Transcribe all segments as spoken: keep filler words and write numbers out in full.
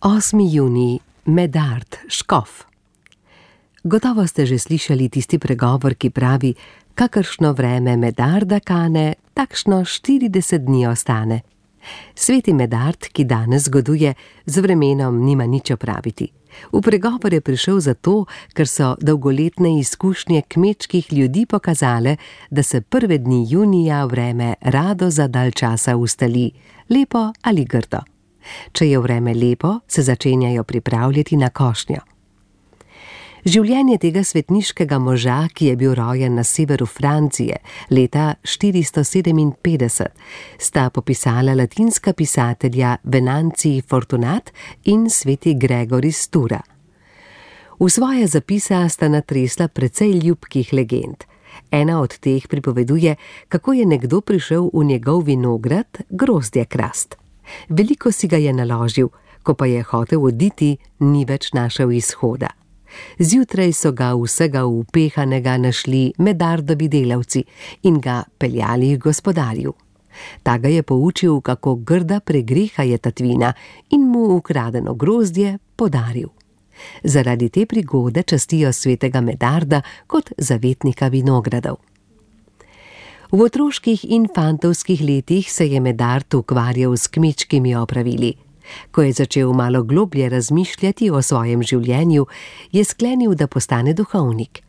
osmi junij, Medard, škof. Gotovo ste že slišali tisti pregovor, ki pravi: kakršno vreme Medarda kane, takšno štirideset dni ostane. Sveti Medard, ki danes zgoduje, z vremenom nima nič opraviti. V pregovor je prišel zato, ker so dolgoletne izkušnje kmečkih ljudi pokazale, da se prve dni junija vreme rado za dalj časa ustali, lepo ali grdo. Če je vreme lepo, se začenjajo pripravljati na košnjo. Življenje tega svetniškega moža, ki je bil rojen na severu Francije leta štiristo sedeminpetdeset, sta popisala latinska pisatelja Venanzij Fortunat in sveti Gregor iz Tura. V svoje zapisa sta natresla precej ljubkih legend. Ena od teh pripoveduje, kako je nekdo prišel v njegov vinograd grozdje krast. Veliko si ga je naložil, ko pa je hotel oditi, ni več našel izhoda. Zjutraj so ga vsega upehanega našli Medardovi delavci in ga peljali k gospodarju. Ta ga je poučil, kako grda pregreha je tatvina, in mu ukradeno grozdje podaril. Zaradi te prigode častijo svetega Medarda kot zavetnika vinogradov. V otroških in fantovskih letih se je Medard ukvarjal s kmečkimi opravili. Ko je začel malo globlje razmišljati o svojem življenju, je sklenil, da postane duhovnik.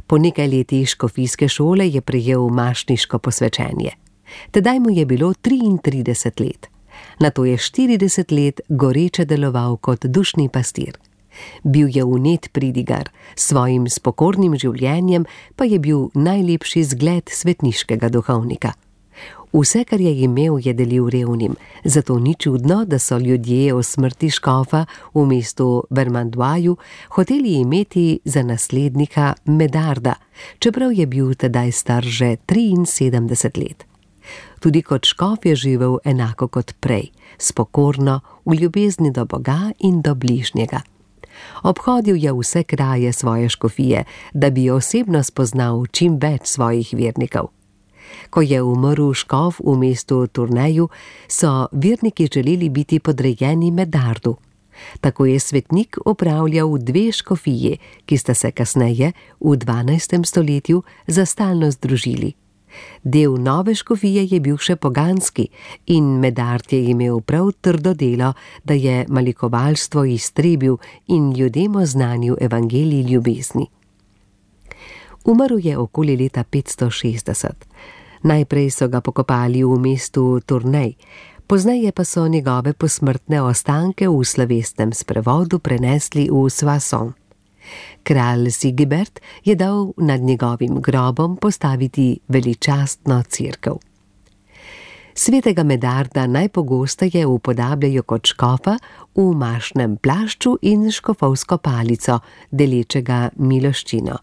Po nekaj letih škofijske šole je prejel mašniško posvečenje. Tedaj mu je bilo triintrideset let. Nato je štirideset let goreče deloval kot dušni pastir. Bil je vnet pridigar, s svojim spokornim življenjem pa je bil najlepši zgled svetniškega duhovnika. Vse, kar je imel, je delil revnim, zato ni čudno, da so ljudje o smrti škofa v mestu Vermandoisu hoteli imeti za naslednika Medarda, čeprav je bil tedaj star že triinsedemdeset let. Tudi kot škof je živel enako kot prej, spokorno, v ljubezni do Boga in do bližnjega. Obhodil je vse kraje svoje škofije, da bi osebno spoznal čim več svojih vernikov. Ko je umrl škof v mestu Tourneju, so verniki želeli biti podrejeni Medardu. Tako je svetnik upravljal dve škofiji, ki sta se kasneje, v dvanajstem stoletju, za stalno združili. Del nove škofije je bil še poganski in Medard je imel prav trdo delo, da je malikovalstvo iztrebil in ljudem oznanil evangelij ljubezni. Umrl je okoli leta petsto šestdeset. Najprej so ga pokopali v mestu Tournai, pozneje pa so njegove posmrtne ostanke v slovesnem sprevodu prenesli v Soissons. Kralj Sigibert je dal nad njegovim grobom postaviti veličastno cerkev. Svetega Medarda najpogosteje upodabljajo kot škofa v mašnem plašču in škofovsko palico, delečega miloščino.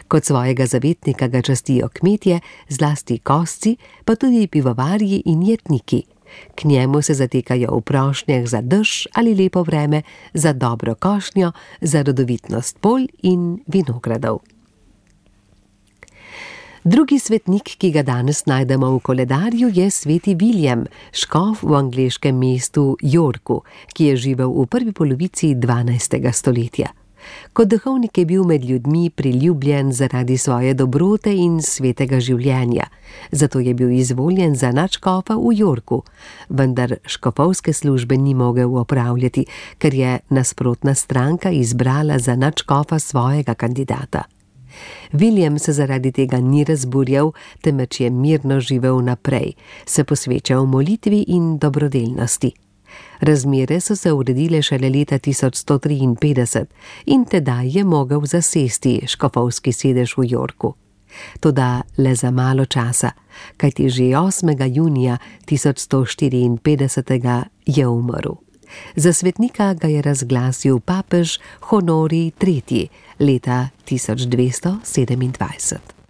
Kot svojega zavetnika ga častijo kmetje, zlasti kosci, pa tudi pivovarji in jetniki. K njemu se zatekajo v prošnjah za dež ali lepo vreme, za dobro košnjo, za rodovitnost polj in vinogradov. Drugi svetnik, ki ga danes najdemo v koledarju, je sveti William, škof v angleškem mestu Yorku, ki je živel v prvi polovici dvanajstega stoletja. Kot duhovnik je bil med ljudmi priljubljen zaradi svoje dobrote in svetega življenja, zato je bil izvoljen za nadškofa v Yorku, vendar škofovske službe ni mogel opravljati, ker je nasprotna stranka izbrala za nadškofa svojega kandidata. William se zaradi tega ni razburjal, temveč je mirno živel naprej, se posvečal molitvi in dobrodelnosti. Razmere so se uredile šele leta tisoč sto triinpetdeset in tedaj je mogel zasesti škofovski sedež v Yorku. Toda le za malo časa, kajti že osmega junija tisoč sto štiriinpetdeset je umrl. Za svetnika ga je razglasil papež Honorij tretji leta tisoč dvesto sedemindvajset.